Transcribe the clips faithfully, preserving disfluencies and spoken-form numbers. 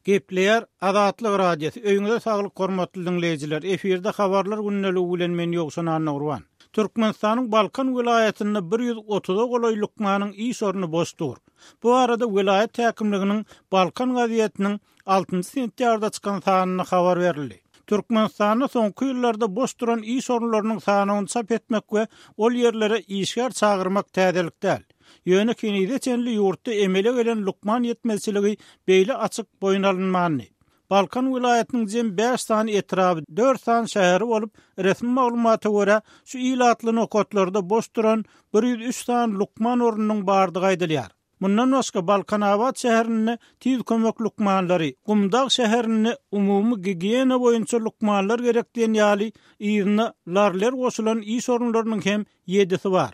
Gepleýär Azatlyk Radiosy. Öýüňize saglyk hormatly diňleýjiler. Efirde habarlar gündeligi bilen men Ýowşan Annagurban. Türkmenistanyň Balkan welaýatynda bir ýüz otuza golaý lukmanyň iş orny boş dur. Bu arada welaýat häkimliginiň Balkan gazetiniň altynjy sentýabrda çykan sanynda habar berildi. Türkmenistanda soňky ýyllarda boş duran iş orunlarynyň sanyny çap etmek we ol ýerlere işgär çagyrmak täzelik däl. Ýöne henize çenli ýurtda emele gelen lukman ýetmezçiligi beýle açyk boýun alynmandy. Balkan welaýatynyň jem bäş sany etraby, dört sany şäheri bolup, resmi maglumata görä, şu ilatly nokatlarda boş duran bir ýüz üç sany lukman ornunyň bardygy aýdylýar. Mundan başga Balkanabat şäherinde tiz kömek lukmanlary, Gumdag şäherinde umumy gigiýena boýunça lukmanlar gerek diýen ýaly yzyna larler goşulan iş orunlarynyň hem ýedisi bar.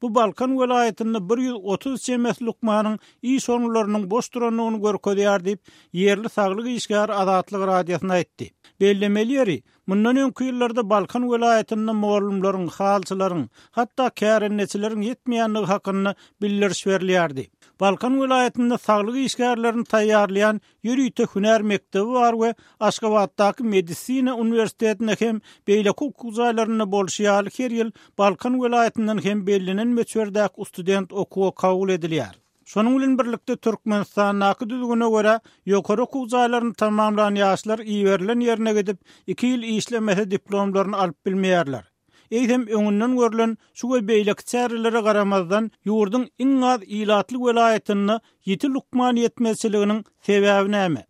Bu Balkan welaýatynda bir ýüz otuz çemesi lukmanyň iş orunlarynyň boş durandygyny görkezýär diýip, ýerli saglyk işgäri Azatlyk Radiosyna aýtdy. Bellemeli ýeri, mundan öňki ýyllarda Balkan welaýatynda mugallymlaryň, halçylaryň, hatda kärendeçileriň ýetmeýändigi hakynda bildiriş berilýärdi. Balkan welaýatynda saglyk işgärlerini taýýarlaýan ýörite hünär mekdebi bar we Aşgabatdaky medisina uniwersitetinde hem beýleki okuw jaýlarynda bolşy ýaly her ýyl Balkan welaýatyndan hem bellenen möçberdäki student okuwa kabul edilýär. Şonuň bilen birlikde Türkmenistandaky düzgüne görä ýokary okuw jaýlaryny tamamlan ýaşlar iberilen ýerine gidip iki ýyl işlemese diplomlaryny alyp bilmeýärler. Eýsem öňünden görülen şu we beýleki çärelere garamazdan ýurduň iň az ilatly welaýatynda ýiti lukman ýetmezçiliginiň sebäbi näme?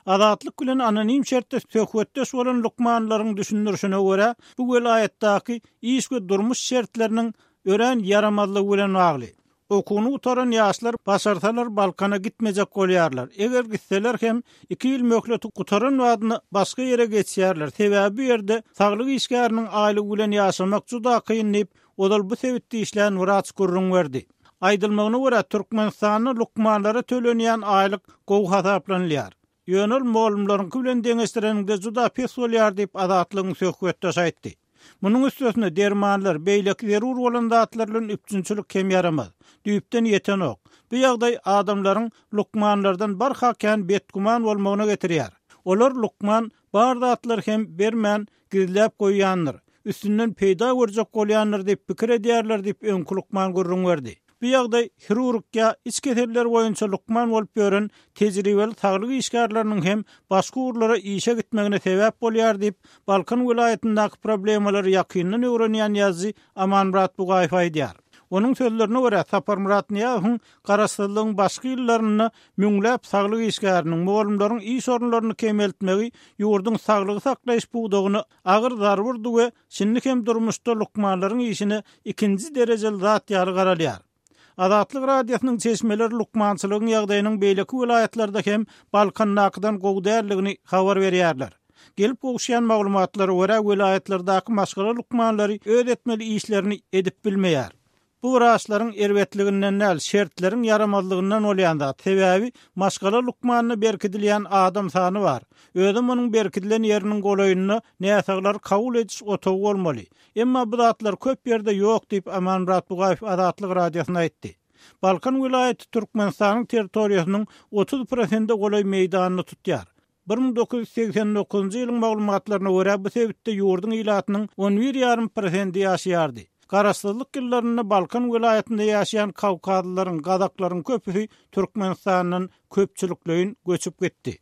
Azatlyk bilen anonim şertde söhbetdeş bolan lukmanlaryň düşündirişine görä, bu welaýatdaky iş we durmuş şertleriniň örän ýaramazlygy bilen bagly. Okuwyny gutaran ýaşlar başarsalar Balkana gitmejek bolýarlar. Eger gitseler hem iki ýyl möhleti gutaran wagtynda başga ýere geçýärler. Sebäbi bu ýerde saglyk işgäriniň aýlygy bilen ýaşamak juda kyn diýip, ozal bu sebitde işlän wraç gürrüň berdi. Aýdylmagyna görä Türkmenistanda lukmanlara tölenýän aýlyk gowy hasaplanylýar. Ýöne ol mugallymlaryňky bilen deňeşdireniňde juda pes bolýar diýip Azatlygyň söhbetdeşi aýtdy. Munuň üstesine dermanlar, beýleki zerur bolan zatlar bilen üpjünçilik hem ýaramaz. Düýpden ýetenok. Bu ýagdaý adamlaryň lukmanlardan barha kän betgüman bolmagyna getirýär. Olar lukman bar zatlar hem bermän gizläp goýýandyr. Üstünden peýda görjek bolýandyr diýip pikir edýärler diýip öňki lukman gürrüň berdi. Bu ýagdaý hirurg ýa iç keseller boýunça lukman bolup ýören tejribeli saglyk işgärleriniň hem başga ugurlara işe gitmegine sebäp bolýar diýip Balkan welaýatyndaky problemalary ýakyndan öwrenýän ýazyjy Amanmyrat Bugaýew aýdýar. Onuň sözlerine görä Saparmyrat Nyýazowyň garaşsyzlygyň başky ýyllarynda müňläp saglyk işgäriniň, mugallymlaryň iş orunlaryny kemeltmegi ýurduň saglygy saklaýyş pudagyna agyr zarba urdy we şindi hem durmuşda lukmanlaryň işine ikinji derejeli zat ýaly garalýar. Azatlyk Radiosynyň çeşmeleri lukmançylygyň ýagdaýynyň beýleki welaýatlarda hem Balkandakydan gowy däldigini habar berýärler. Gelip gowuşýan maglumatlara görä welaýatlardaky maşgala lukmanlary öz etmeli işlerini edip bilmeýär. Bu wraçlaryň erbetliginden däl, şertleriň ýaramazlygyndan bolýan zat. Sebäbi maşgala lukmanyna berkidilýän adam sany bar. Özüm onuň berkidilen ýeriniň golaýynda näsaglar kabul ediş otagy bolmaly. Emma bu zatlar köp ýerde ýok diýip Amanmyrat Bugaýew Azatlyk Radiosyna aýtdy. Balkan welaýaty Türkmenistanyň territoriýasynyň otuz prosente golaý meýdanyny tutýar. Bir müň dokuz ýüz segsen dokuzynjy ýylyň maglumatlaryna görä bu sebitde ýurduň ilatynyň on bir ýarym prosenti ýaşaýardy. Garaşsyzlyk ýyllarynda Balkan welaýatynda ýaşaýan Kawkazlylaryň, Gazaklaryň köpüsi Türkmenistandan köpçülikleýin göçüp gitdi.